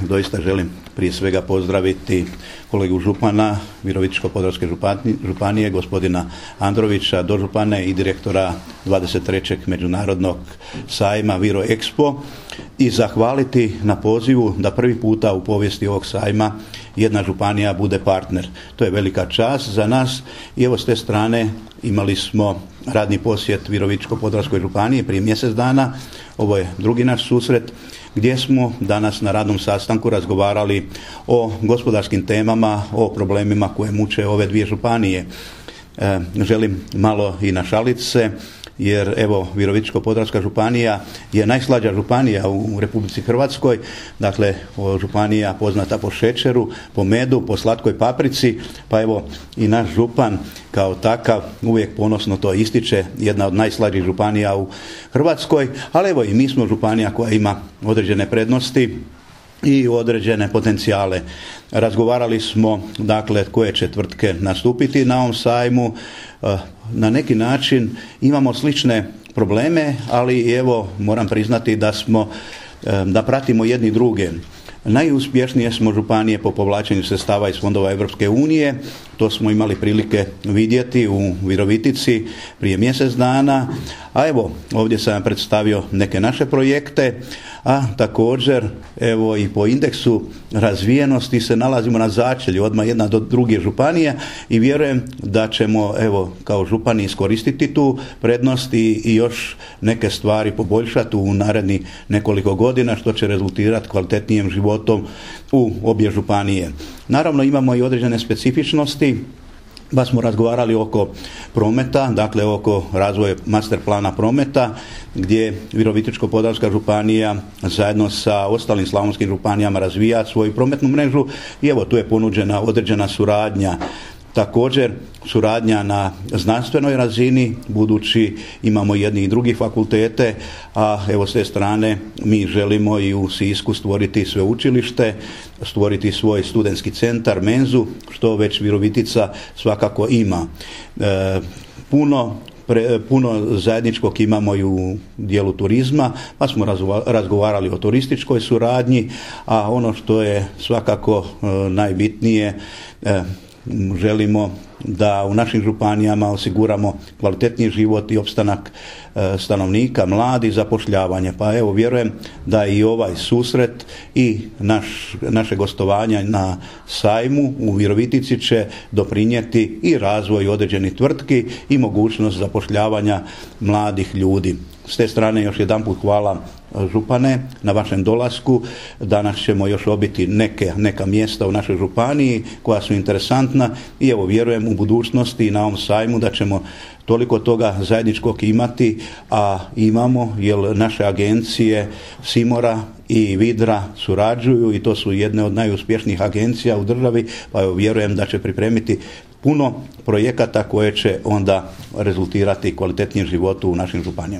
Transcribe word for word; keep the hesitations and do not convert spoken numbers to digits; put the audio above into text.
doista želim prije svega pozdraviti kolegu župana Virovitičko-podravske županije, gospodina Androvića, dožupane i direktora dvadeset trećeg međunarodnog sajma Viro Expo i zahvaliti na pozivu da prvi puta u povijesti ovog sajma jedna županija bude partner. To je velika čast za nas i evo s te strane imali smo radni posjet Virovitičko-podravskoj županiji prije mjesec dana. Ovo je drugi naš susret gdje smo danas na radnom sastanku razgovarali o gospodarskim temama, o problemima koje muče ove dvije županije. E, želim malo i našalit se, jer evo Virovitičko-podravska županija je najslađa županija u Republici Hrvatskoj, dakle županija poznata po šećeru, po medu, po slatkoj paprici, pa evo i naš župan kao takav uvijek ponosno to ističe, jedna od najslađih županija u Hrvatskoj, ali evo i mi smo županija koja ima određene prednosti i određene potencijale. Razgovarali smo dakle koje će tvrtke nastupiti na ovom sajmu. Na neki način imamo slične probleme, ali evo moram priznati da smo da pratimo jedni druge. Najuspješnije smo županije po povlačenju sredstava iz fondova Europske unije. To smo imali prilike vidjeti u Virovitici prije mjesec dana. A evo, ovdje sam predstavio neke naše projekte, a također evo i po indeksu razvijenosti se nalazimo na začelju, odmah jedna do druge županije i vjerujem da ćemo evo kao župani iskoristiti tu prednost i, i još neke stvari poboljšati u narednih nekoliko godina, što će rezultirati kvalitetnijim životom u obje županije. Naravno imamo i određene specifičnosti, pa smo razgovarali oko prometa, dakle oko razvoja master plana prometa, gdje Virovitičko-podravska županija zajedno sa ostalim slavonskim županijama razvija svoju prometnu mrežu i evo tu je ponuđena određena suradnja. Također suradnja na znanstvenoj razini, budući imamo jedni i drugi fakultete, a evo s te strane mi želimo i u Sisku stvoriti sveučilište, stvoriti svoj studentski centar, menzu, što već Virovitica svakako ima. E, puno Pre, puno zajedničkog imamo i u dijelu turizma, pa smo razgovarali o turističkoj suradnji, a ono što je svakako e, najbitnije, e, želimo da u našim županijama osiguramo kvalitetniji život i opstanak e, stanovnika, mladi, zapošljavanje. Pa evo vjerujem da i ovaj susret i naš, naše gostovanja na sajmu u Virovitici će doprinijeti i razvoju određenih tvrtki i mogućnost zapošljavanja mladih ljudi. S te strane još jedanput hvala župane na vašem dolasku. Danas ćemo još obiti neke, neka mjesta u našoj županiji koja su interesantna i evo vjerujem u budućnosti i na ovom sajmu da ćemo toliko toga zajedničkog imati, a imamo jer naše agencije Simora i Vidra surađuju i to su jedne od najuspješnijih agencija u državi, pa evo vjerujem da će pripremiti puno projekata koje će onda rezultirati kvalitetnijem životu u našim županijama.